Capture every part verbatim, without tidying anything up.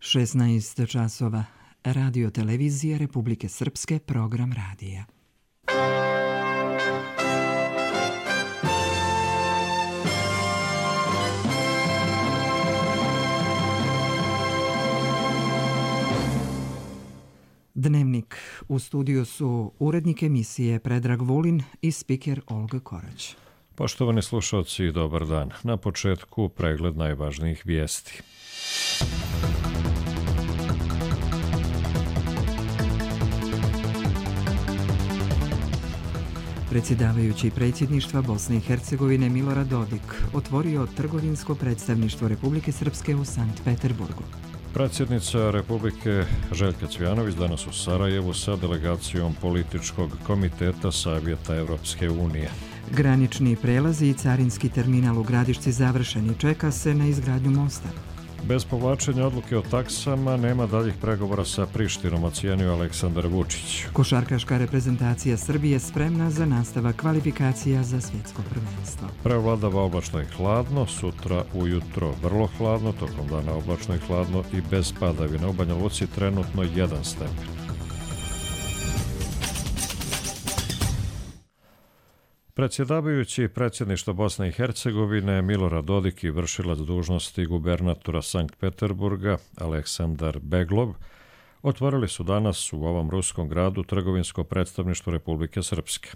šesnaest časova. Radio televizije Republike Srpske, program radija. Dnevnik. U studiju su urednik emisije Predrag Vulin i spiker Olga Korać. Poštovani slušalci, dobar dan. Na početku pregled najvažnijih vijesti. Predsjedavajući predsjedništva Bosne i Hercegovine Milorad Dodik otvorio trgovinsko predstavništvo Republike Srpske u Sankt Peterburgu. Predsjednica Republike Željka Cvjanović danas u Sarajevu sa delegacijom političkog komiteta Savjeta Evropske unije. Granični prelazi i carinski terminal u Gradišci završeni, čeka se na izgradnju mosta. Bez povlačenja odluke o taksama nema daljih pregovora sa Prištinom, ocijenio Aleksandar Vučić. Košarkaška reprezentacija Srbije spremna za nastavak kvalifikacija za svjetsko prvenstvo. Prevladava oblačno i hladno, sutra ujutro vrlo hladno, tokom dana oblačno i hladno i bez padavina. U Banja Luci trenutno jedan stepen. Predsjedavajući predsjedništva Bosne i Hercegovine Milorad Dodik i vršilac dužnosti gubernatora Sankt Peterburga Aleksandar Beglov otvorili su danas u ovom ruskom gradu trgovinsko predstavništvo Republike Srpske.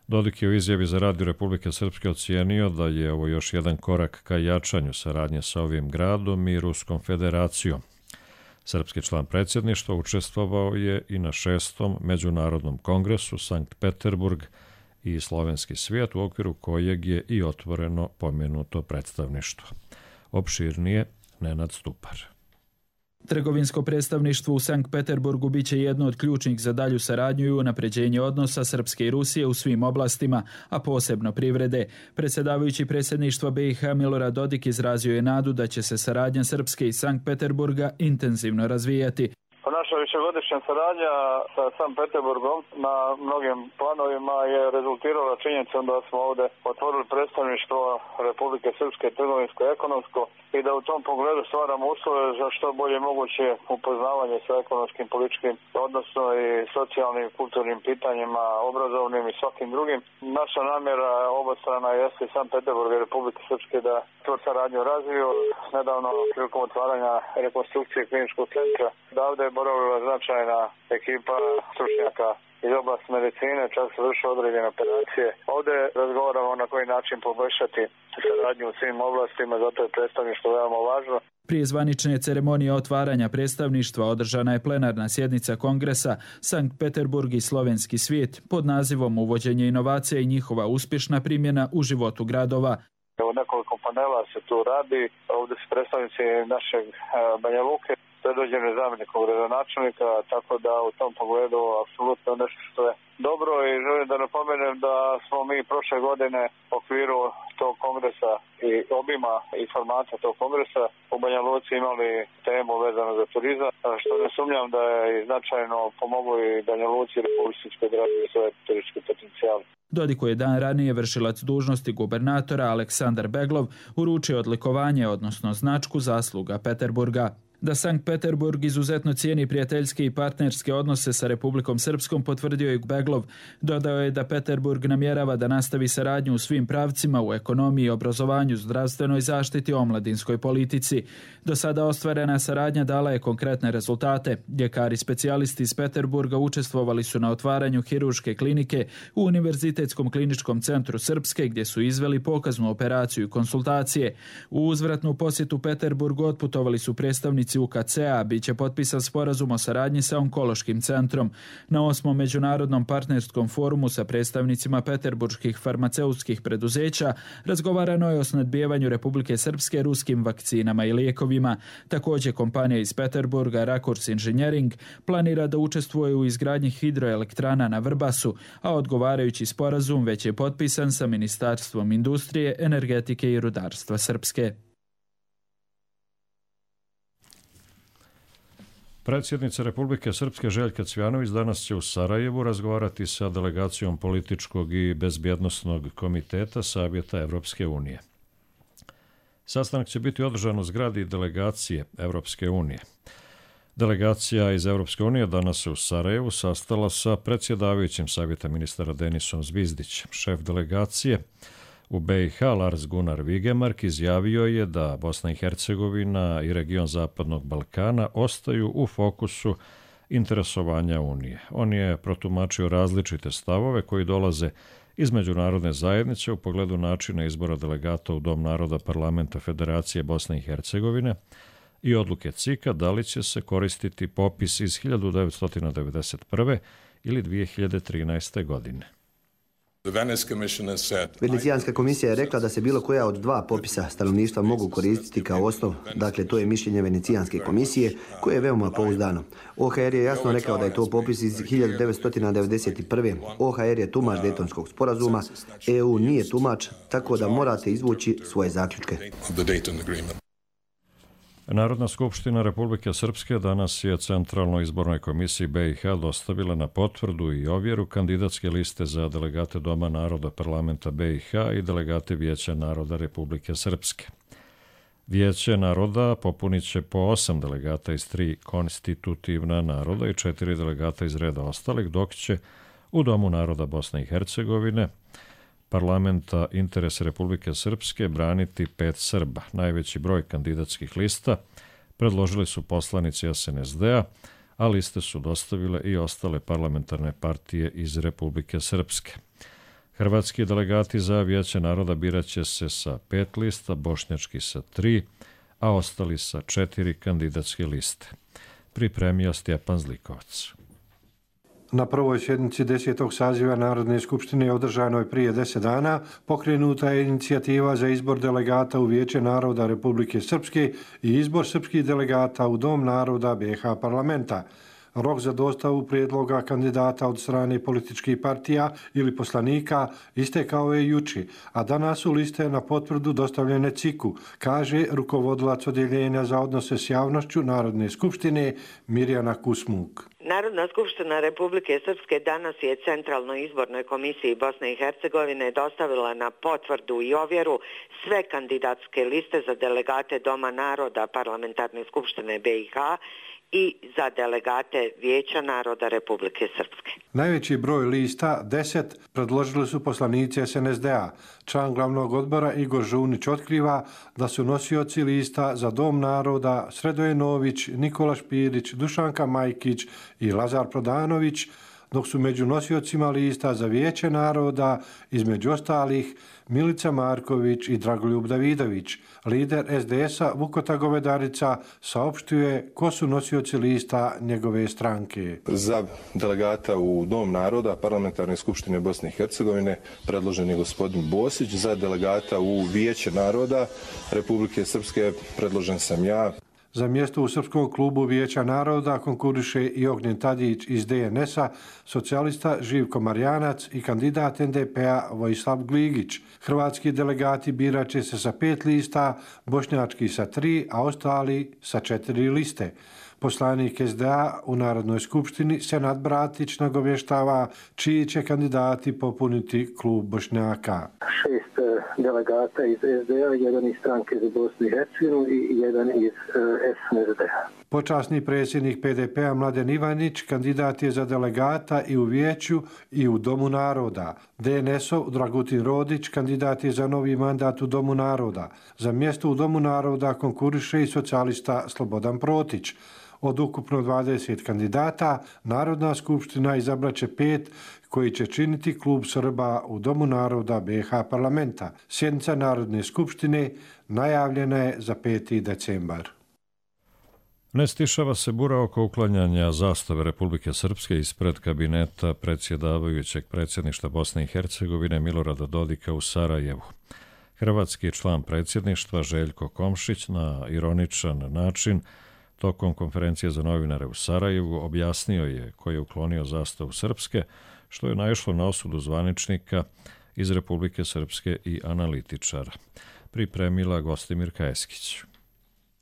Dodik je u izjavi za Radio Republike Srpske ocijenio da je ovo još jedan korak ka jačanju saradnje sa ovim gradom i Ruskom federacijom. Srpski član predsjedništva učestvovao je i na šestom međunarodnom kongresu Sankt Peterburg i slovenski svijet, u okviru kojeg je i otvoreno pomenuto predstavništvo. Opširnije Nenad Stupar. Trgovinsko predstavništvo u Sankt Peterburgu biće jedno od ključnih za dalju saradnju i unapređenje odnosa Srpske i Rusije u svim oblastima, a posebno privrede. Predsjedavajući predsjedništva B i H Milorad Dodik izrazio je nadu da će se saradnja Srpske i Sankt Peterburga intenzivno razvijati. Naša višegodišnja saradnja sa Sankt Peterburgom na mnogim planovima je rezultirala činjenicom da smo ovdje otvorili predstavništvo Republike Srpske trgovinsko i ekonomsko i da u tom pogledu stvaramo uslove za što bolje moguće upoznavanje sa ekonomskim, političkim, odnosno i socijalnim, kulturnim pitanjima, obrazovnim i svakim drugim. Naša namjera obostrana jeste Sankt Peterburg i Republike Srpske da tu saradnju razviju. Nedavno prilikom otvaranja rekonstrukcije kliničkog centra da ovdje je boravila značajna ekipa stručnjaka iz oblasti medicine, čak se vrše određene operacije. Ovdje razgovaramo na koji način poboljšati saradnju u svim oblastima, zato je predstavništvo veoma važno. Prije zvanične ceremonije otvaranja predstavništva održana je plenarna sjednica kongresa Sankt Peterburg i slovenski svijet pod nazivom Uvođenje inovacija i njihova uspješna primjena u životu gradova. Evo nekoliko panela se tu radi, ovdje su predstavnici našeg Banja Luke, predvođeni zamjenikom gradonačelnika, tako da u tom pogledu apsolutno nešto što je dobro i želim da napomenem da smo mi prošle godine u okviru tog kongresa i obima i formata tog kongresa u Banja Luci imali temu vezano za turizam, što ne sumnjam da je značajno pomoglo i Banja Luci i Republike Srpske da razvije svoje turističke potencijale. Dodik je dan ranije vršilac dužnosti gubernatora Aleksandar Beglov uručio odlikovanje, odnosno značku zasluga Peterburga. Da Sankt Peterburg izuzetno cijeni prijateljske i partnerske odnose sa Republikom Srpskom potvrdio je Beglov. Dodao je da Peterburg namjerava da nastavi saradnju u svim pravcima u ekonomiji, obrazovanju, zdravstvenoj zaštiti, omladinskoj politici. Do sada ostvarena saradnja dala je konkretne rezultate. Ljekari specijalisti iz Peterburga učestvovali su na otvaranju hirurške klinike u Univerzitetskom kliničkom centru Srpske, gdje su izveli pokaznu operaciju i konsultacije. U uzvratnu posjetu Peterburgu otputovali su predstavnici U K C-a, bit će potpisan sporazum o saradnji sa onkološkim centrom. Na osmom međunarodnom partnerskom forumu sa predstavnicima peterburških farmaceutskih preduzeća razgovarano je o snadbijevanju Republike Srpske ruskim vakcinama i lijekovima. Također kompanija iz Peterburga Rakurs Engineering planira da učestvuje u izgradnji hidroelektrana na Vrbasu, a odgovarajući sporazum već je potpisan sa Ministarstvom industrije, energetike i rudarstva Srpske. Predsjednica Republike Srpske Željka Cvjanović danas će u Sarajevu razgovarati sa delegacijom političkog i bezbjednosnog komiteta Savjeta Evropske unije. Sastanak će biti održan u zgradi delegacije Evropske unije. Delegacija iz Evropske unije danas se u Sarajevu sastala sa predsjedavajućim savjeta ministara Denisom Zvizdićem. Šef delegacije u B i H Lars Gunnar Vigemark izjavio je da Bosna i Hercegovina i region Zapadnog Balkana ostaju u fokusu interesovanja Unije. On je protumačio različite stavove koji dolaze iz međunarodne zajednice u pogledu načina izbora delegata u Dom naroda Parlamenta Federacije Bosne i Hercegovine i odluke C I K-a da li će se koristiti popis iz hiljadu devetsto devedeset prve ili dvije hiljade trinaeste. godine. Venecijanska komisija je rekla da se bilo koja od dva popisa stanovništva mogu koristiti kao osnov, dakle to je mišljenje Venecijanske komisije koje je veoma pouzdano. O H R je jasno rekao da je to popis iz hiljadu devetsto devedeset prve. O H R je tumač Dejtonskog sporazuma, E U nije tumač, tako da morate izvući svoje zaključke. Narodna skupština Republike Srpske danas je Centralnoj izbornoj komisiji B i H dostavila na potvrdu i ovjeru kandidatske liste za delegate Doma naroda Parlamenta B i H i delegate Vijeća naroda Republike Srpske. Vijeće naroda popunit će po osam delegata iz tri konstitutivna naroda i četiri delegata iz reda ostalih, dok će u Domu naroda Bosne i Hercegovine Parlamenta interese Republike Srpske braniti pet Srba. Najveći broj kandidatskih lista predložili su poslanici S N S D-a, a liste su dostavile i ostale parlamentarne partije iz Republike Srpske. Hrvatski delegati za Vijeće naroda birat će se sa pet lista, bošnjački sa tri, a ostali sa četiri kandidatske liste. Pripremio Stjepan Zlikovac. Na prvoj sjednici desetog saziva Narodne skupštine održanoj prije deset dana pokrenuta je inicijativa za izbor delegata u Vijeće naroda Republike Srpske i izbor srpskih delegata u Dom naroda B i H parlamenta. Rok za dostavu prijedloga kandidata od strane političkih partija ili poslanika istekao je juči, a danas su liste na potvrdu dostavljene C I K-u, kaže rukovodilac odjeljenja za odnose s javnošću Narodne skupštine Mirjana Kusmuk. Narodna skupština Republike Srpske danas je Centralnoj izbornoj komisiji Bosne i Hercegovine dostavila na potvrdu i ovjeru sve kandidatske liste za delegate Doma naroda Parlamentarne skupštine B i H i za delegate Vijeća naroda Republike Srpske. Najveći broj lista, deset, predložili su poslanici S N S D-a. Član glavnog odbora Igor Žunić otkriva da su nosioci lista za Dom naroda Sredoje Nović, Nikola Špirić, Dušanka Majkić i Lazar Prodanović, dok su među nosiocima lista za Vijeće naroda, između ostalih, Milica Marković i Dragoljub Davidović. Lider S D S-a Vukota Govedarica saopštuje ko su nosioci lista njegove stranke. Za delegata u Dom naroda Parlamentarne skupštine Bosne i Hercegovine predložen je gospodin Bosić, za delegata u Vijeće naroda Republike Srpske predložen sam ja. Za mjesto u Srpskom klubu Vijeća naroda konkuriše i Ognjen Tadić iz D N S-a, socijalista Živko Marjanac i kandidat N D P-a Vojislav Gligić. Hrvatski delegati birat će se sa pet lista, bošnjački sa tri, a ostali sa četiri liste. Poslanik S D A u Narodnoj skupštini Senad Bratić nagovještava čiji će kandidati popuniti klub Bošnjaka. Šest delegata iz S D A, jedan iz stranke za Bosnu i Hercegovinu i jedan iz S N S D-a. Počasni predsjednik P D P-a Mladen Ivanić kandidat je za delegata i u Vijeću i u Domu naroda. D N S-ov Dragutin Rodić kandidat je za novi mandat u Domu naroda. Za mjesto u Domu naroda konkuriše i socijalista Slobodan Protić. Od ukupno dvadeset kandidata, Narodna skupština izabraće pet koji će činiti klub Srba u Domu naroda B i H parlamenta. Sjednica Narodne skupštine najavljena je za peti decembar. Ne stišava se bura oko uklanjanja zastave Republike Srpske ispred kabineta predsjedavajućeg predsjedništva Bosne i Hercegovine Milorada Dodika u Sarajevu. Hrvatski član predsjedništva Željko Komšić na ironičan način tokom konferencije za novinare u Sarajevu objasnio je ko je uklonio zastavu Srpske, što je naišlo na osudu zvaničnika iz Republike Srpske i analitičara. Pripremila Gostimirka Eskić.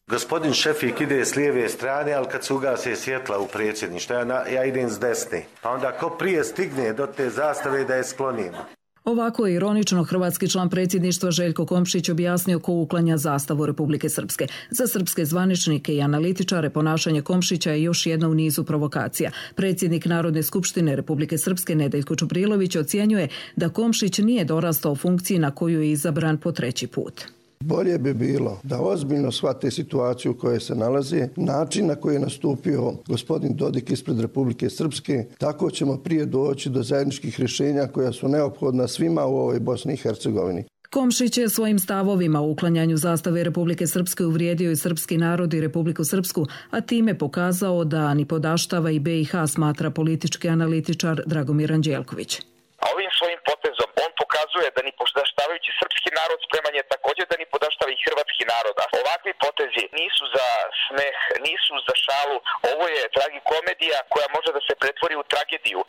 Gospodin Šefik ide s lijeve strane, ali kad se ugase svjetla u predsjedništvu, ja, ja idem s desne. Pa onda ko prije stigne do te zastave da je sklonimo. Ovako je ironično hrvatski član predsjedništva Željko Komšić objasnio ko uklanja zastavu Republike Srpske. Za srpske zvaničnike i analitičare ponašanje Komšića je još jedna u nizu provokacija. Predsjednik Narodne skupštine Republike Srpske Nedeljko Čubrilović ocjenjuje da Komšić nije dorastao funkciji na koju je izabran po treći put. Bolje bi bilo da ozbiljno shvate situaciju u kojoj se nalaze, način na koji je nastupio gospodin Dodik ispred Republike Srpske, tako ćemo prije doći do zajedničkih rješenja koja su neophodna svima u ovoj Bosni i Hercegovini. Komšić je svojim stavovima u uklanjanju zastave Republike Srpske uvrijedio i srpski narod i Republiku Srpsku, a time pokazao da ni podaštava i be i ha, smatra politički analitičar Dragomir Anđelković. A ovim svojim potezom on pokazuje da ni podaštavajući srpski narod spreman je također da ni podaštava i hrvatski narod. A ovakvi potezi nisu za smeh, nisu za šalu. Ovo je tragikomedija koja može da se pretvori u tragediju.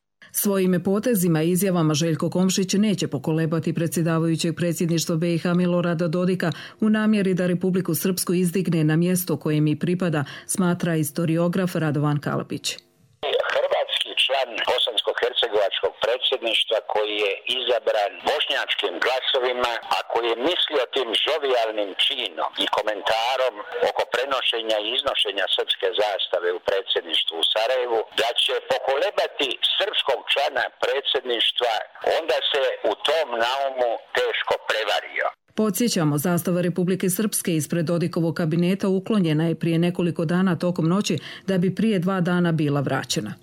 Svojim potezima i izjavama Željko Komšić neće pokolebati predsjedavajućeg predsjedništva be i ha Milorada Dodika u namjeri da Republiku Srpsku izdigne na mjesto koje mi pripada, smatra historiograf Radovan Kalapić. Hrvatski član bosansko-hercegovačkog predsjedništva koji je izabran bošnjačkim glasovima, a koji je mislio tim žovijalnim činom i komentarom oko prenošenja i iznošenja srpske zastave u predsjedništvu u Sarajevu, da će pokolebati srpskog člana predsjedništva, onda se u tom naumu teško prevario. Podsjećamo, zastava Republike Srpske ispred Dodikovog kabineta uklonjena je prije nekoliko dana tokom noći da bi prije dva dana bila vraćena.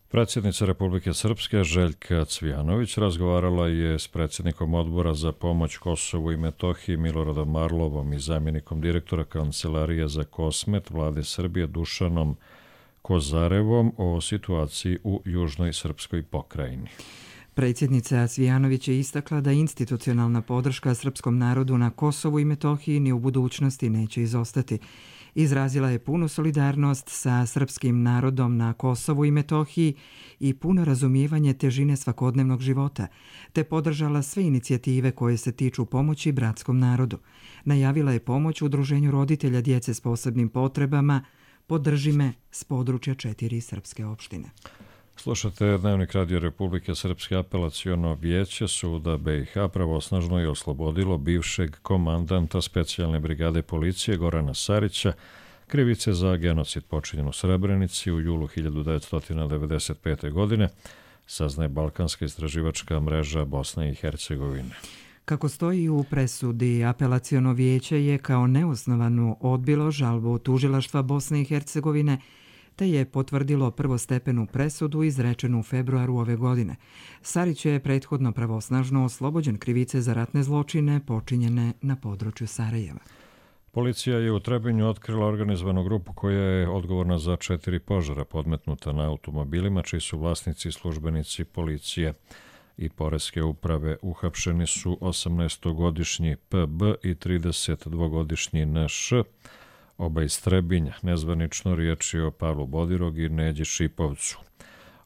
Predsjednica Republike Srpske Željka Cvijanović razgovarala je s predsjednikom odbora za pomoć Kosovu i Metohiji Miloradom Marlovom i zamjenikom direktora Kancelarije za Kosmet Vlade Srbije Dušanom Kozarevom o situaciji u južnoj srpskoj pokrajini. Predsjednica Cvijanović je istakla da institucionalna podrška srpskom narodu na Kosovu i Metohiji ni u budućnosti neće izostati. Izrazila je punu solidarnost sa srpskim narodom na Kosovu i Metohiji i puno razumijevanje težine svakodnevnog života, te podržala sve inicijative koje se tiču pomoći bratskom narodu. Najavila je pomoć Udruženju roditelja djece s posebnim potrebama Podrži me s područja četiri srpske opštine. Slušate Dnevnik Radio Republike Srpske. Apelaciono vijeće suda be i ha pravosnažno je oslobodilo bivšeg komandanta specijalne brigade policije Gorana Sarića krivice za genocid počinjen u Srebrenici u julu hiljadu devetsto devedeset pete. godine, saznaje Balkanska istraživačka mreža Bosne i Hercegovine. Kako stoji u presudi, apelaciono vijeće je kao neosnovanu odbilo žalbu tužilaštva Bosne i Hercegovine, te je potvrdilo prvostepenu presudu izrečenu u februaru ove godine. Sarić je prethodno pravosnažno oslobođen krivice za ratne zločine počinjene na području Sarajeva. Policija je u Trebinju otkrila organizovanu grupu koja je odgovorna za četiri požara podmetnuta na automobilima, čiji su vlasnici službenici policije i poreske uprave. Uhapšeni su osamnaestogodišnji pe be i tridesetdvogodišnji en š, oba iz Trebinja. Nezvanično riječ je o Pavlu Bodirog i Neđi Šipovcu.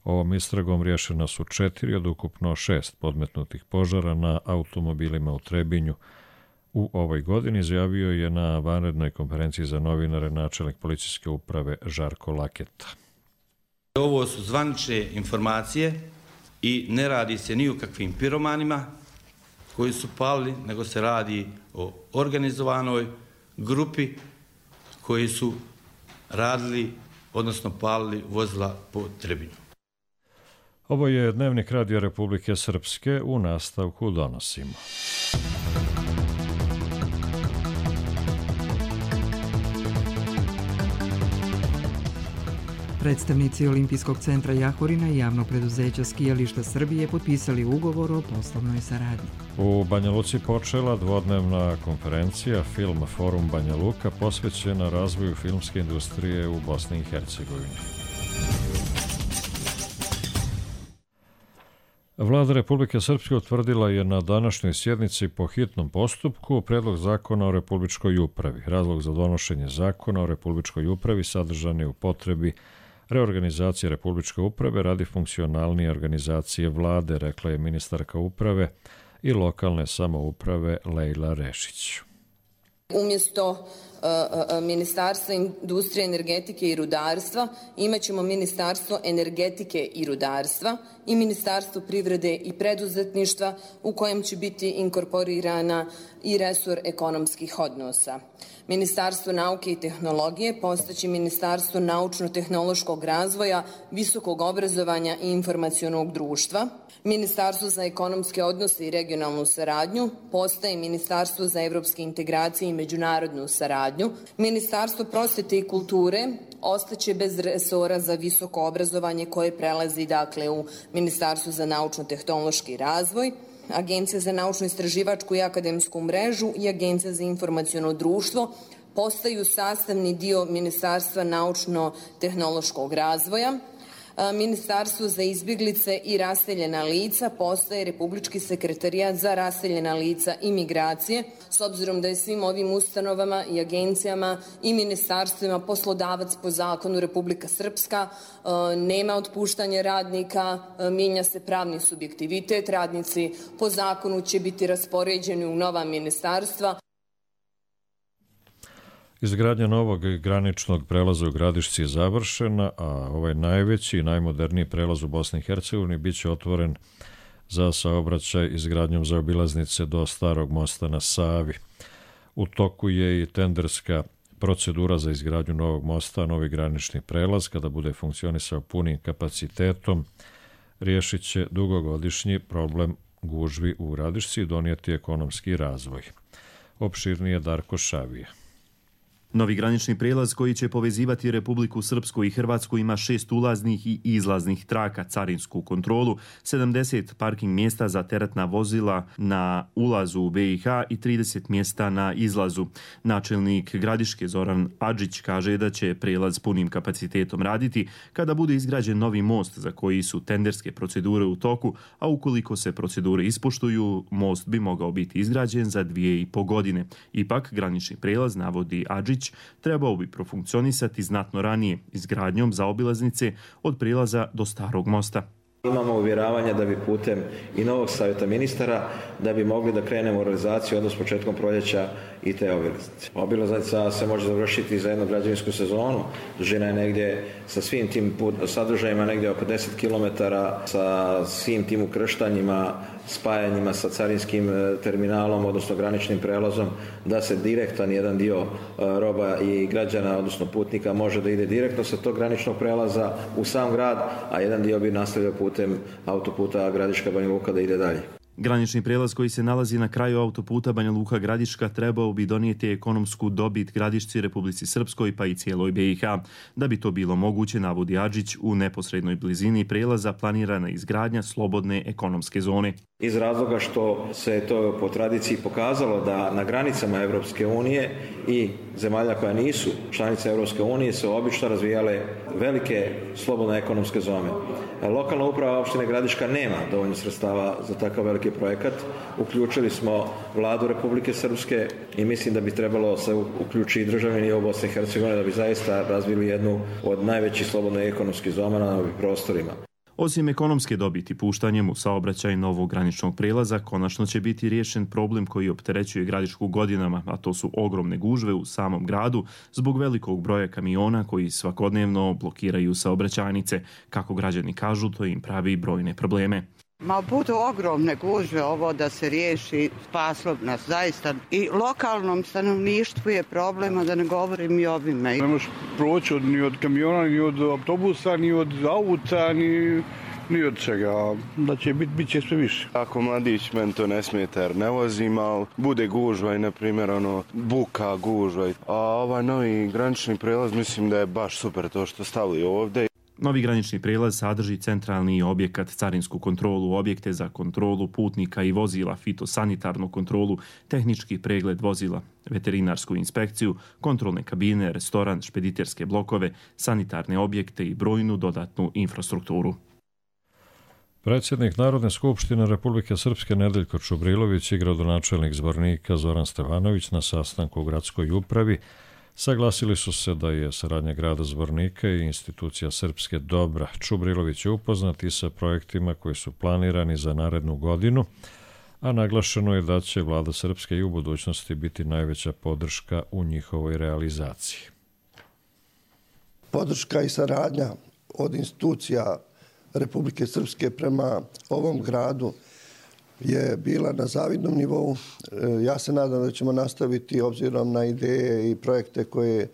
Ovom istragom rješena su četiri od ukupno šest podmetnutih požara na automobilima u Trebinju. U ovoj godini izjavio je na vanrednoj konferenciji za novinare načelnik policijske uprave Žarko Laketa. Ovo su zvanične informacije i ne radi se ni o kakvim piromanima koji su palili, nego se radi o organizovanoj grupi koji su radili, odnosno palili vozila po Trebinju. Ovo je Dnevnik Radio Republike Srpske, u nastavku donosimo. Predstavnici Olimpijskog centra Jahorina i javnog preduzeća Skijališta Srbije potpisali ugovor o poslovnoj saradnji. U Banja Luci počela dvodnevna konferencija Film Forum Banja Luka posvećena razvoju filmske industrije u Bosni i Hercegovini. Vlada Republike Srpske utvrdila je na današnjoj sjednici po hitnom postupku predlog zakona o Republičkoj upravi. Razlog za donošenje zakona o Republičkoj upravi sadržan je u potrebi reorganizacije Republičke uprave radi funkcionalnije organizacije vlade, rekla je ministarka uprave i lokalne samouprave Lejla Rešić. Umjesto Ministarstva industrije, energetike i rudarstva imat ćemo Ministarstvo energetike i rudarstva i Ministarstvo privrede i preduzetništva u kojem će biti inkorporirana i resor ekonomskih odnosa. Ministarstvo nauke i tehnologije postaće Ministarstvo naučno-tehnološkog razvoja, visokog obrazovanja i informacionog društva. Ministarstvo za ekonomske odnose i regionalnu saradnju postaje Ministarstvo za evropske integracije i međunarodnu saradnju. Ministarstvo prosvete i kulture ostaće bez resora za visoko obrazovanje koje prelazi dakle u Ministarstvo za naučno-tehnološki razvoj. Agencija za naučno-istraživačku i akademsku mrežu i Agencija za informaciono društvo postaju sastavni dio Ministarstva naučno-tehnološkog razvoja. Ministarstvo za izbjeglice i raseljena lica postaje Republički sekretarijat za raseljena lica i migracije, s obzirom da je svim ovim ustanovama i agencijama i ministarstvima poslodavac po zakonu Republika Srpska, nema otpuštanja radnika, mijenja se pravni subjektivitet, radnici po zakonu će biti raspoređeni u nova ministarstva. Izgradnja novog graničnog prelaza u Gradišci je završena, a ovaj najveći i najmoderniji prelaz u Bosni i Hercegovini bit će otvoren za saobraćaj izgradnjom zaobilaznice do Starog mosta na Savi. U toku je i tenderska procedura za izgradnju novog mosta, novi granični prelaz, kada bude funkcionisao punim kapacitetom, riješit će dugogodišnji problem gužvi u Gradišci i donijeti ekonomski razvoj. Opširnije Darko Šavije. Novi granični prijelaz koji će povezivati Republiku Srpsku i Hrvatsku ima šest ulaznih i izlaznih traka, carinsku kontrolu, sedamdeset parking mjesta za teretna vozila na ulazu u B i H i trideset mjesta na izlazu. Načelnik Gradiške Zoran Adžić kaže da će prijelaz punim kapacitetom raditi kada bude izgrađen novi most za koji su tenderske procedure u toku, a ukoliko se procedure ispoštuju, most bi mogao biti izgrađen za dvije i po godine. Ipak, granični prijelaz, navodi Adžić, trebao bi profunkcionisati znatno ranije izgradnjom zaobilaznice od prijelaza do Starog mosta. Imamo uvjeravanje da bi putem i novog savjeta ministara da bi mogli da krenemo u realizaciju odnos početkom proljeća i te obilaznice. Obilaznica se može završiti za jednu građevinsku sezonu. Dužina je negdje sa svim tim sadržajima negdje oko deset kilometara, sa svim tim ukrštanjima, spajanjima sa carinskim terminalom, odnosno graničnim prelazom, da se direktan jedan dio roba i građana, odnosno putnika, može da ide direktno sa tog graničnog prelaza u sam grad, a jedan dio bi nastavio putem autoputa Gradiška Banja Luka da ide dalje. Granični prijelaz koji se nalazi na kraju autoputa Banja Luka Gradiška trebao bi donijeti ekonomsku dobit Gradišci, Republici Srpskoj pa i cijeloj B i H. Da bi to bilo moguće, navodi Adžić, u neposrednoj blizini prijelaza planirana izgradnja slobodne ekonomske zone. Iz razloga što se to po tradiciji pokazalo da na granicama Europske unije i zemalja koja nisu članice Europske unije se obično razvijale velike slobodne ekonomske zone. Lokalna uprava opštine Gradiška nema dovoljno sredstava za takav veliki projekat. Uključili smo vladu Republike Srpske i mislim da bi trebalo se uključiti i državni nivo Bosne i Hercegovine da bi zaista razvili jednu od najvećih slobodnih ekonomskih zona na ovim prostorima. Osim ekonomske dobiti puštanjem u saobraćaj novog graničnog prijelaza, konačno će biti riješen problem koji opterećuje Gradišku godinama, a to su ogromne gužve u samom gradu zbog velikog broja kamiona koji svakodnevno blokiraju saobraćajnice. Kako građani kažu, to im pravi brojne probleme. Ma budu ogromne gužve, ovo da se riješi, spaslo bi nas zaista. I lokalnom stanovništvu je problema, da ne govorim i ovime. Ne možeš proći od, ni od kamiona, ni od autobusa, ni od auta, ni, ni od čega. Da će biti, bit će sve više. Ako mladić, meni to ne smeta jer ne vozim, ali bude gužva i, na primjer, ono, buka gužva. A ovaj novi granični prelaz mislim da je baš super to što stavili ovdje. Novi granični prijelaz sadrži centralni objekat, carinsku kontrolu, objekte za kontrolu putnika i vozila, fitosanitarnu kontrolu, tehnički pregled vozila, veterinarsku inspekciju, kontrolne kabine, restoran, špediterske blokove, sanitarne objekte i brojnu dodatnu infrastrukturu. Predsjednik Narodne skupštine Republike Srpske Nedeljko Čubrilović i gradonačelnik Zvornika Zoran Stevanović na sastanku u gradskoj upravi saglasili su se da je saradnja grada Zvornika i institucija Srpske dobra. Čubrilović je upoznat i sa projektima koji su planirani za narednu godinu, a naglašeno je da će vlada Srpske i u budućnosti biti najveća podrška u njihovoj realizaciji. Podrška i saradnja od institucija Republike Srpske prema ovom gradu je bila na zavidnom nivou. Ja se nadam da ćemo nastaviti obzirom na ideje i projekte koje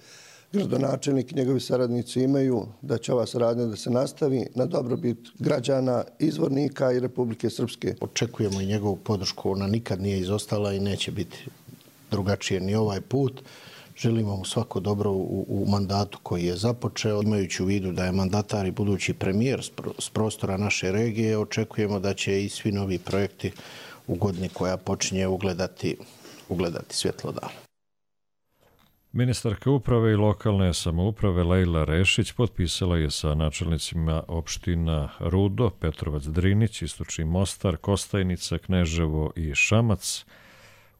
gradonačelnik i njegovi saradnici imaju, da će ova saradnja da se nastavi na dobrobit građana, izvornika i Republike Srpske. Očekujemo i njegovu podršku, ona nikad nije izostala i neće biti drugačije ni ovaj put. Želimo mu svako dobro u, u mandatu koji je započeo. Imajući u vidu da je mandatar i budući premijer s prostora naše regije, očekujemo da će i svi novi projekti u godini koja počinje ugledati, ugledati svjetlo dana. Ministarka uprave i lokalne samouprave Lejla Rešić potpisala je sa načelnicima opština Rudo, Petrovac, Drinić, Istočni Mostar, Kostajnica, Kneževo i Šamac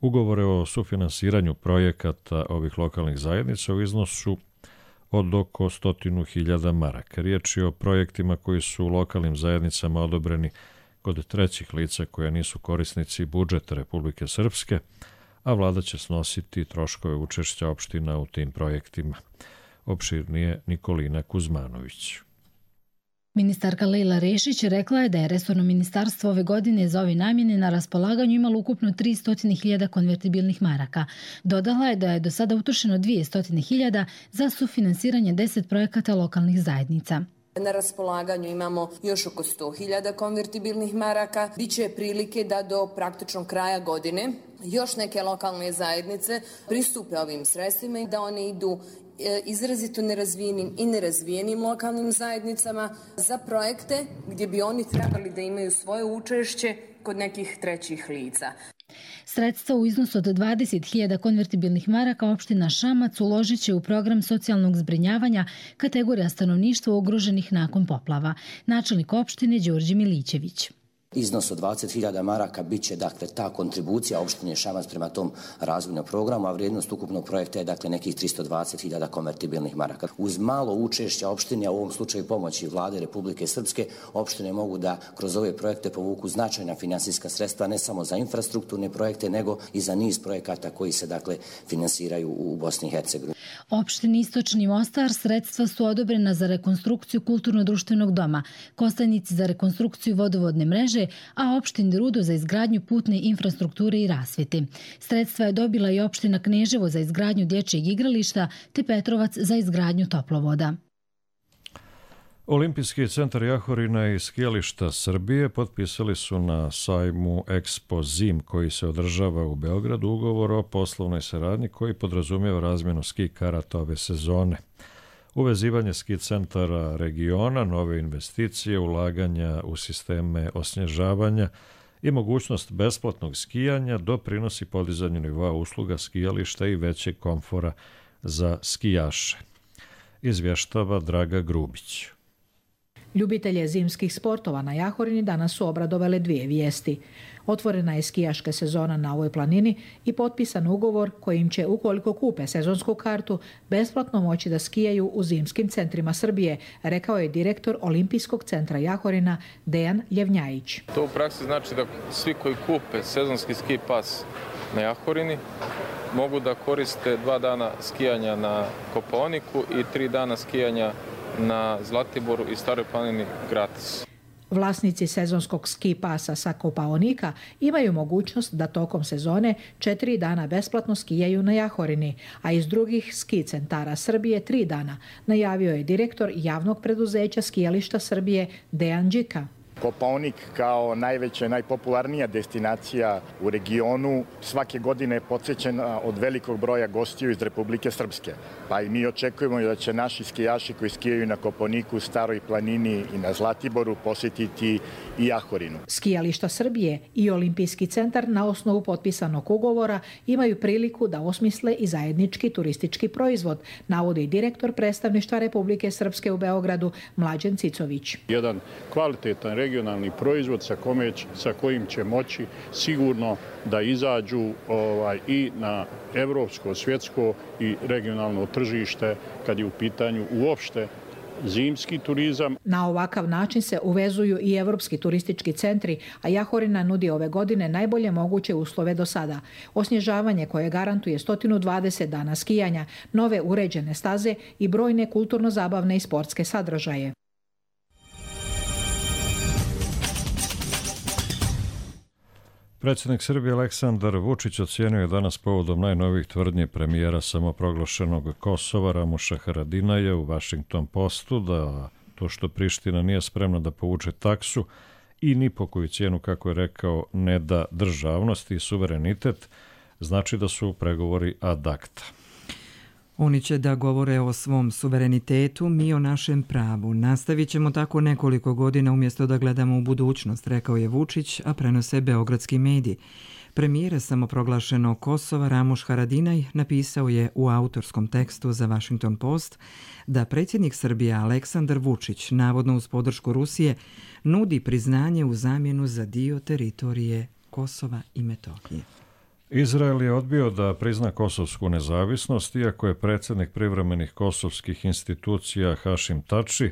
ugovore o sufinansiranju projekata ovih lokalnih zajednica u iznosu od oko stotinu hiljada maraka. Riječ je o projektima koji su lokalnim zajednicama odobreni kod trećih lica koja nisu korisnici budžeta Republike Srpske, a vlada će snositi troškove učešća opština u tim projektima. Opširnije Nikolina Kuzmanović. Ministarka Lejla Rešić rekla je da je resorno ministarstvo ove godine za ove namjene na raspolaganju imalo ukupno tristo hiljada konvertibilnih maraka. Dodala je da je do sada utrošeno dvjesto hiljada za sufinansiranje deset projekata lokalnih zajednica. Na raspolaganju imamo još oko sto hiljada konvertibilnih maraka. Biće prilike da do praktično kraja godine još neke lokalne zajednice pristupe ovim sredstvima i da one idu izrazito nerazvijenim i nerazvijenim lokalnim zajednicama za projekte gdje bi oni trebali da imaju svoje učešće kod nekih trećih lica. Sredstva u iznosu od dvadeset hiljada konvertibilnih maraka opština Šamac uložit će u program socijalnog zbrinjavanja kategorija stanovništva ugroženih nakon poplava. Načelnik opštine Đorđe Milićević. Iznos od dvadeset hiljada maraka bit će dakle ta kontribucija opštine Šamac prema tom razvojnom programu, a vrijednost ukupnog projekta je dakle nekih tristo dvadeset hiljada konvertibilnih maraka. Uz malo učešća opštine, a u ovom slučaju pomoći vlade Republike Srpske, opštine mogu da kroz ove projekte povuku značajna finansijska sredstva ne samo za infrastrukturne projekte, nego i za niz projekata koji se dakle finansiraju u Bosni i Hercegovini. Opštini Istočni Mostar sredstva su odobrena za rekonstrukciju kulturno-društvenog doma, Kostajnici za rekonstrukciju vodovodne mreže, a opštini Rudo za izgradnju putne infrastrukture i rasvjete. Sredstva je dobila i opština Kneževo za izgradnju dječjeg igrališta te Petrovac za izgradnju toplovoda. Olimpijski centar Jahorina i skijališta Srbije potpisali su na sajmu Expo Zim koji se održava u Beogradu ugovor o poslovnoj saradnji koji podrazumijeva razmjenu ski karata ove sezone. Uvezivanje ski centara regiona, nove investicije, ulaganja u sisteme osnježavanja i mogućnost besplatnog skijanja doprinosi podizanju nivoa usluga skijališta i većeg komfora za skijaše. Izvještava Draga Grubić. Ljubitelje zimskih sportova na Jahorini danas su obradovale dvije vijesti. Otvorena je skijaška sezona na ovoj planini i potpisan ugovor kojim će, ukoliko kupe sezonsku kartu, besplatno moći da skijaju u zimskim centrima Srbije, rekao je direktor Olimpijskog centra Jahorina Dejan Ljevnjajić. To u praksi znači da svi koji kupe sezonski ski pas na Jahorini mogu da koriste dva dana skijanja na Kopaoniku i tri dana skijanja na Zlatiboru i Staroj planini gratis. Vlasnici sezonskog ski pasa sa Kopaonika imaju mogućnost da tokom sezone četiri dana besplatno skijaju na Jahorini, a iz drugih ski centara Srbije tri dana, najavio je direktor javnog preduzeća skijališta Srbije Dejan Đika. Kopaonik kao najveća i najpopularnija destinacija u regionu svake godine je podsjećena od velikog broja gostiju iz Republike Srpske. Pa i mi očekujemo da će naši skijaši koji skijaju na Kopaoniku, Staroj planini i na Zlatiboru posjetiti i Jahorinu. Skijališta Srbije i Olimpijski centar na osnovu potpisanog ugovora imaju priliku da osmisle i zajednički turistički proizvod, navodi direktor predstavništva Republike Srpske u Beogradu Mlađan Cicović. Jedan kvalitetan regionalni proizvod sa, kome, sa kojim će moći sigurno da izađu ovaj, i na evropsko, svjetsko i regionalno tržište kad je u pitanju uopšte zimski turizam. Na ovakav način se uvezuju i evropski turistički centri, a Jahorina nudi ove godine najbolje moguće uslove do sada. Osnježavanje koje garantuje sto dvadeset dana skijanja, nove uređene staze i brojne kulturno-zabavne i sportske sadržaje. Predsjednik Srbije Aleksandar Vučić ocijenio je danas povodom najnovijih tvrdnji premijera samoproglašenog Kosova Ramuša Haradinaja u Washington Postu da to što Priština nije spremna da povuče taksu i ni po koju cijenu, kako je rekao, ne da državnost i suverenitet, znači da su pregovori ad acta. Oni će da govore o svom suverenitetu, mi o našem pravu. Nastavit ćemo tako nekoliko godina umjesto da gledamo u budućnost, rekao je Vučić, a prenose beogradski mediji. Premijer samoproglašenog Kosova Ramuš Haradinaj napisao je u autorskom tekstu za Washington Post da predsjednik Srbije Aleksandar Vučić, navodno uz podršku Rusije, nudi priznanje u zamjenu za dio teritorije Kosova i Metohije. Izrael je odbio da prizna kosovsku nezavisnost, iako je predsjednik privremenih kosovskih institucija Hašim Tači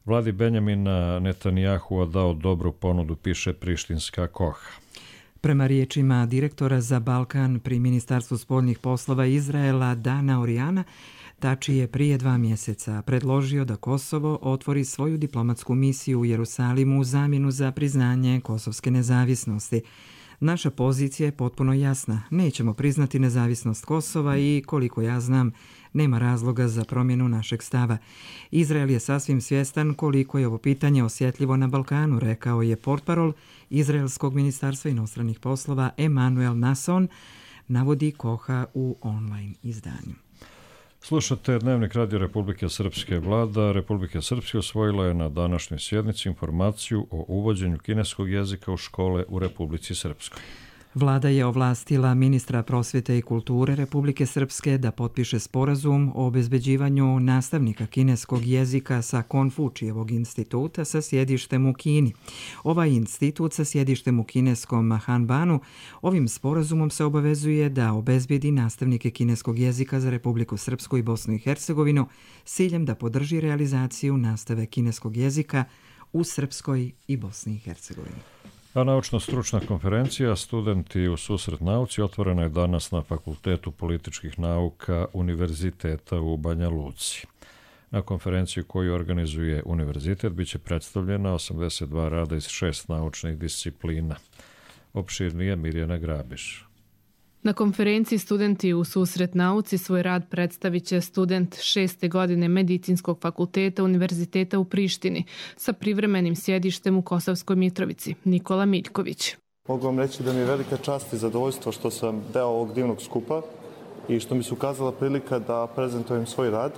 vladi Benjamina Netanjahua dao dobru ponudu, piše prištinska Koha. Prema riječima direktora za Balkan pri Ministarstvu spoljnih poslova Izraela Dana Orijana, Tači je prije dva mjeseca predložio da Kosovo otvori svoju diplomatsku misiju u Jerusalimu u zamjenu za priznanje kosovske nezavisnosti. Naša pozicija je potpuno jasna. Nećemo priznati nezavisnost Kosova i, koliko ja znam, nema razloga za promjenu našeg stava. Izrael je sasvim svjestan koliko je ovo pitanje osjetljivo na Balkanu, rekao je portparol Izraelskog ministarstva inostranih poslova Emanuel Nason, navodi Koha u online izdanju. Slušate Dnevnik Radio Republike Srpske. Vlada Republike Srpske osvojila je na današnjoj sjednici informaciju o uvođenju kineskog jezika u škole u Republici Srpskoj. Vlada je ovlastila ministra prosvjete i kulture Republike Srpske da potpiše sporazum o obezbeđivanju nastavnika kineskog jezika sa Konfučijevog instituta sa sjedištem u Kini. Ovaj institut sa sjedištem u kineskom Hanbanu ovim sporazumom se obavezuje da obezbedi nastavnike kineskog jezika za Republiku Srpsku i Bosnu i Hercegovinu s ciljem da podrži realizaciju nastave kineskog jezika u Srpskoj i Bosni i Hercegovini. A naučno-stručna konferencija Studenti u susret nauci otvorena je danas na Fakultetu političkih nauka Univerziteta u Banja Luci. Na konferenciju koju organizuje univerzitet biće predstavljena osamdeset dva rada iz šest naučnih disciplina. Opširnije Mirjana Grabiš. Na konferenciji Studenti u susret nauci svoj rad predstavit će student šeste godine Medicinskog fakulteta Univerziteta u Prištini sa privremenim sjedištem u Kosovskoj Mitrovici, Nikola Miljković. Mogu vam reći da mi je velika čast i zadovoljstvo što sam deo ovog divnog skupa i što mi se ukazala prilika da prezentujem svoj rad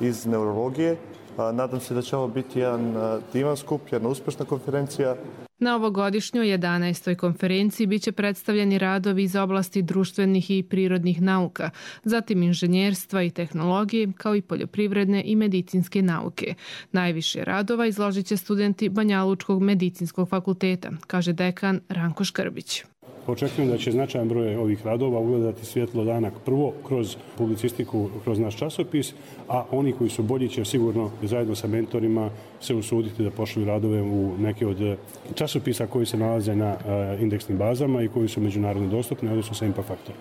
iz neurologije. Nadam se da će ovo biti jedan divan skup, jedna uspešna konferencija. Na ovogodišnjoj jedanaestoj konferenciji biće predstavljeni radovi iz oblasti društvenih i prirodnih nauka, zatim inženjerstva i tehnologije, kao i poljoprivredne i medicinske nauke. Najviše radova izložit će studenti Banjalučkog medicinskog fakulteta, kaže dekan Ranko Škrbić. Očekujem da će značajan broj ovih radova ugledati svjetlo dana prvo kroz publicistiku, kroz naš časopis, a oni koji su bolji će sigurno zajedno sa mentorima se usuditi da pošalju radove u neke od časopisa koji se nalaze na indeksnim bazama i koji su međunarodno dostupni, odnosno sa Impact Factor.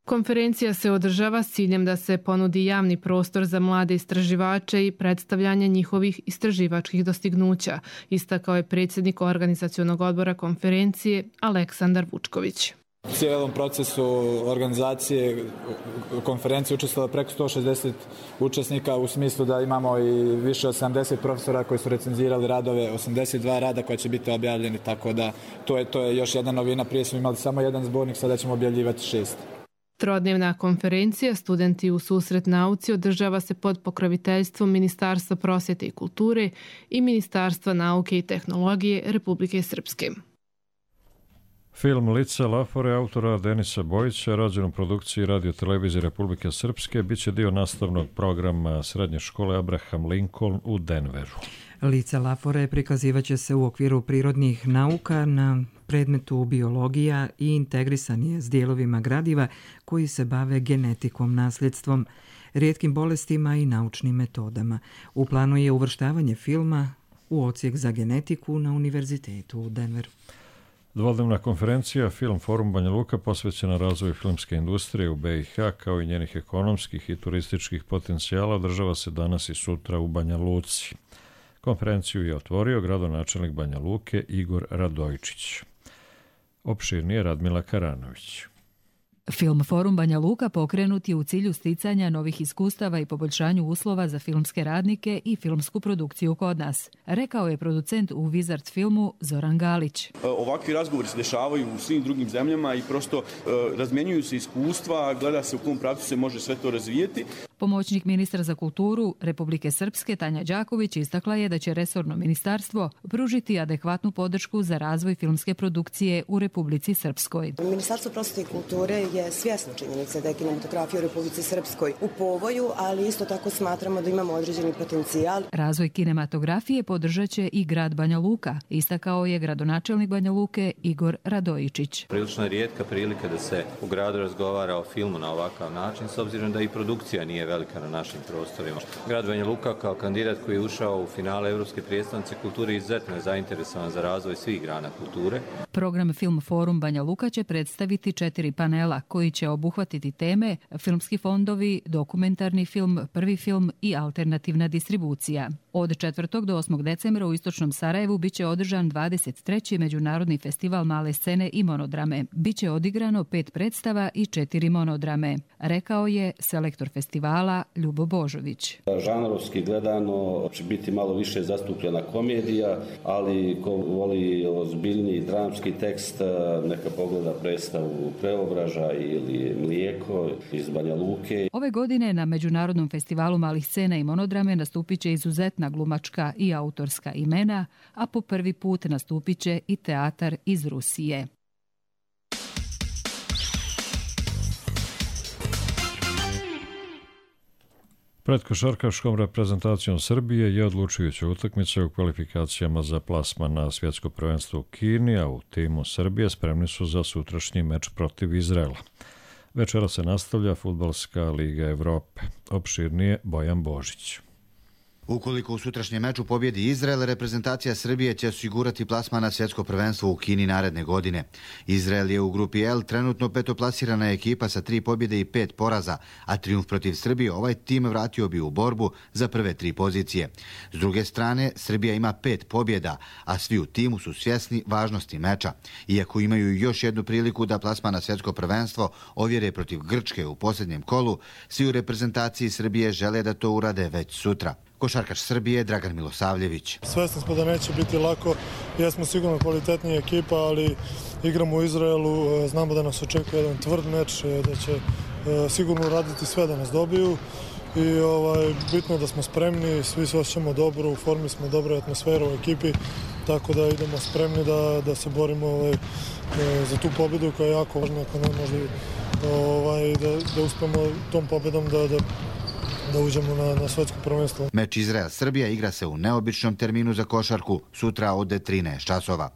Konferencija se održava s ciljem da se ponudi javni prostor za mlade istraživače i predstavljanje njihovih istraživačkih dostignuća, istakao je predsjednik organizacionog odbora konferencije Aleksandar Vučković. U cijelom procesu organizacije konferencije učestvovalo preko sto šezdeset učesnika u smislu da imamo i više od sedamdeset profesora koji su recenzirali radove, osamdeset dva rada koja će biti objavljeni, tako da to je, to je još jedna novina. Prije smo imali samo jedan zbornik, sada ćemo objavljivati šest. Trodnevna konferencija Studenti u susret nauci održava se pod pokroviteljstvom Ministarstva prosvjete i kulture i Ministarstva nauke i tehnologije Republike Srpske. Film Lice Lafore autora Denisa Bojića, rođen u produkciji Radio Televizije Republike Srpske, bit će dio nastavnog programa Srednje škole Abraham Lincoln u Denveru. Lice Lafore prikazivaće se u okviru prirodnih nauka na predmetu biologija i integrisan je s dijelovima gradiva koji se bave genetikom, nasljedstvom, rijetkim bolestima i naučnim metodama. U planu je uvrštavanje filma u odsjek za genetiku na Univerzitetu u Denveru. Dvodnevna konferencija Film Forum Banja Luka posvećena razvoju filmske industrije u B i H kao i njenih ekonomskih i turističkih potencijala održava se danas i sutra u Banja Luci. Konferenciju je otvorio gradonačelnik Banja Luke Igor Radojičić. Opširnije Radmila Karanović. Film Forum Banja Luka pokrenut je u cilju sticanja novih iskustava i poboljšanju uslova za filmske radnike i filmsku produkciju kod nas, rekao je producent u Wizard filmu Zoran Galić. Ovakvi razgovori se dešavaju u svim drugim zemljama i prosto razmjenjuju se iskustva, gleda se u kom pravcu se može sve to razvijeti. Pomoćnik ministra za kulturu Republike Srpske Tanja Đaković istakla je da će resorno ministarstvo pružiti adekvatnu podršku za razvoj filmske produkcije u Republici Srpskoj. Ministarstvo prosvete i kulture je svjesno činjenice da je kinematografija u Republici Srpskoj u povoju, ali isto tako smatramo da imamo određeni potencijal. Razvoj kinematografije podržat će i grad Banja Luka, istakao je gradonačelnik Banja Luke Igor Radojičić. Prilično je rijetka prilika da se u gradu razgovara o filmu na ovakav način, s obzirom da i produkcija nije velika na našim prostorima. Grad Banja Luka kao kandidat koji je ušao u finale Evropske prijestolnice kulture izuzetno je zainteresovan za razvoj svih grana kulture. Program Film Forum Banja Luka će predstaviti četiri panela koji će obuhvatiti teme filmski fondovi, dokumentarni film, prvi film i alternativna distribucija. Od četvrtog do osmog decembra u Istočnom Sarajevu biće održan dvadeset treći Međunarodni festival male scene i monodrame. Biće odigrano pet predstava i četiri monodrame, rekao je selektor festivala Ljubo Božović. Žanrovski gledano će biti malo više zastupljena komedija, ali ko voli ozbiljniji dramski tekst, neka pogleda predstavu Preobraža ili Mlijeko iz Banja Luke. Ove godine na Međunarodnom festivalu malih scena i monodrame nastupit će izuzetna glumačka i autorska imena, a po prvi put nastupit će i teatar iz Rusije. Pred košarkaškom reprezentacijom Srbije je odlučujuća utakmica u kvalifikacijama za plasman na svjetsko prvenstvo u Kini, a u timu Srbije spremni su za sutrašnji meč protiv Izraela. Večera se nastavlja Fudbalska liga Evrope. Opširnije Bojan Božić. Ukoliko u sutrašnjem meču pobjedi Izrael, reprezentacija Srbije će osigurati plasman na svjetsko prvenstvo u Kini naredne godine. Izrael je u grupi L trenutno petoplasirana ekipa sa tri pobjede i pet poraza, a trijumf protiv Srbije ovaj tim vratio bi u borbu za prve tri pozicije. S druge strane, Srbija ima pet pobjeda, a svi u timu su svjesni važnosti meča. Iako imaju još jednu priliku da plasman na svjetsko prvenstvo ovjere protiv Grčke u posljednjem kolu, svi u reprezentaciji Srbije žele da to urade već sutra. Košarkaš Srbije Dragan Milosavljević. Svesni smo da neće biti lako, jesmo sigurno kvalitetnija ekipa, ali igramo u Izraelu, znamo da nas očekuje jedan tvrd meč, da će sigurno raditi sve da nas dobiju i ovaj, bitno je da smo spremni, svi se osjećamo dobro, u formi smo, dobra atmosfera u ekipi, tako da idemo spremni da, da se borimo ovaj, za tu pobjedu koja je jako važna, ako ne možda ovaj, da, da uspemo tom pobjedom da, da da uđemo na, na svjetsko prvenstvo. Meč Izrael-Srbija igra se u neobičnom terminu za košarku, sutra od trinaest časova.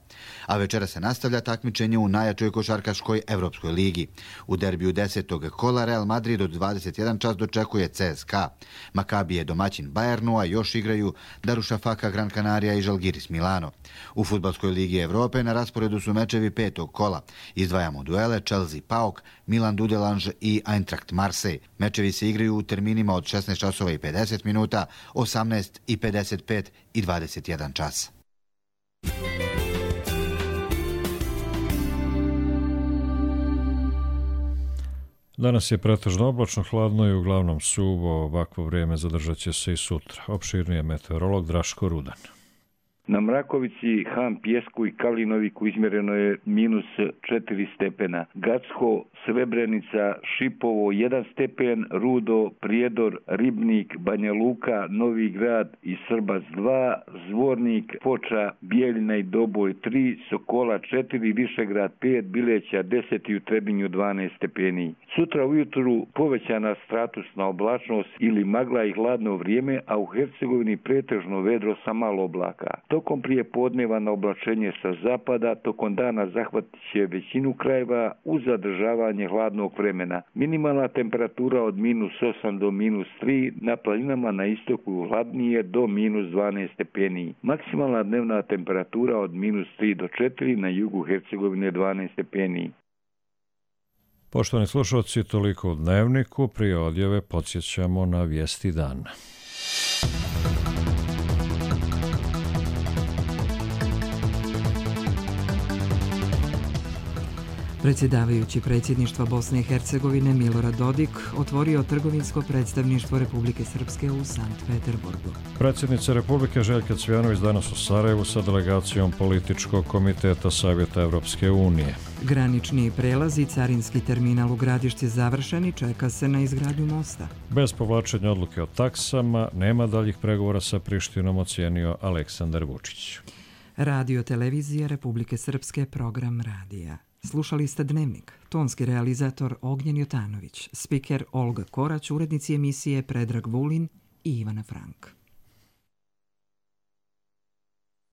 A večera se nastavlja takmičenje u najjačoj košarkaškoj Evropskoj ligi. U derbiju desetog kola Real Madrid od dvadeset jedan čas dočekuje C S K A. Makabi je domaćin Bayernu, a još igraju Darušafaka, Gran Canaria i Žalgiris Milano. U Fudbalskoj ligi Evrope na rasporedu su mečevi petog kola. Izdvajamo duele Chelsea Paok, Milan Dudelange i Eintracht Marseille. Mečevi se igraju u terminima od šesnaest časova i pedeset minuta, osamnaest i pedeset pet i dvadeset jedan čas. Danas je pretežno oblačno, hladno i uglavnom suvo. Ovakvo vrijeme zadržat će se i sutra. Opširnije meteorolog Draško Rudan. Na Mrakovici, Han Pjesku i Kalinoviku izmjereno je minus četiri stepena. Gacko, Srebrenica, Šipovo jedan stepen, Rudo, Prijedor, Ribnik, Banja Luka, Novi Grad i Srbac dva, Zvornik, Foča, Bijeljina i Doboj tri, Sokola četiri, Višegrad pet, Bileća deset i u Trebinju dvanaest stepeni. Sutra ujutru povećana statusna oblačnost ili magla i hladno vrijeme, a u Hercegovini pretežno vedro sa malo oblaka. Tokom prije podneva na oblačenje sa zapada, tokom dana zahvatit će većinu krajeva uz zadržavanje hladnog vremena. Minimalna temperatura od minus osam do minus tri, na planinama na istoku hladnije do minus dvanaest stepeni. Maksimalna dnevna temperatura od minus tri do četiri, na jugu Hercegovine dvanaest stepeni. Poštovani slušalci, toliko u Dnevniku. Prije odjave podsjećamo na vijesti dana. Predsjedavajući predsjedništva Bosne i Hercegovine Milorad Dodik otvorio trgovinsko predstavništvo Republike Srpske u Sankt Peterburgu. Predsjednica Republike Željka Cvijanović danas u Sarajevu sa delegacijom Političkog komiteta Savjeta Evropske unije. Granični prelaz i carinski terminal u Gradišci završen i čeka se na izgradnju mosta. Bez povlačenja odluke o taksama nema daljih pregovora sa Prištinom, ocijenio Aleksandar Vučić. Radio televizija Republike Srpske, program radija. Slušali ste Dnevnik, tonski realizator Ognjen Jotanović, spiker Olga Korać, urednici emisije Predrag Vulin i Ivana Frank.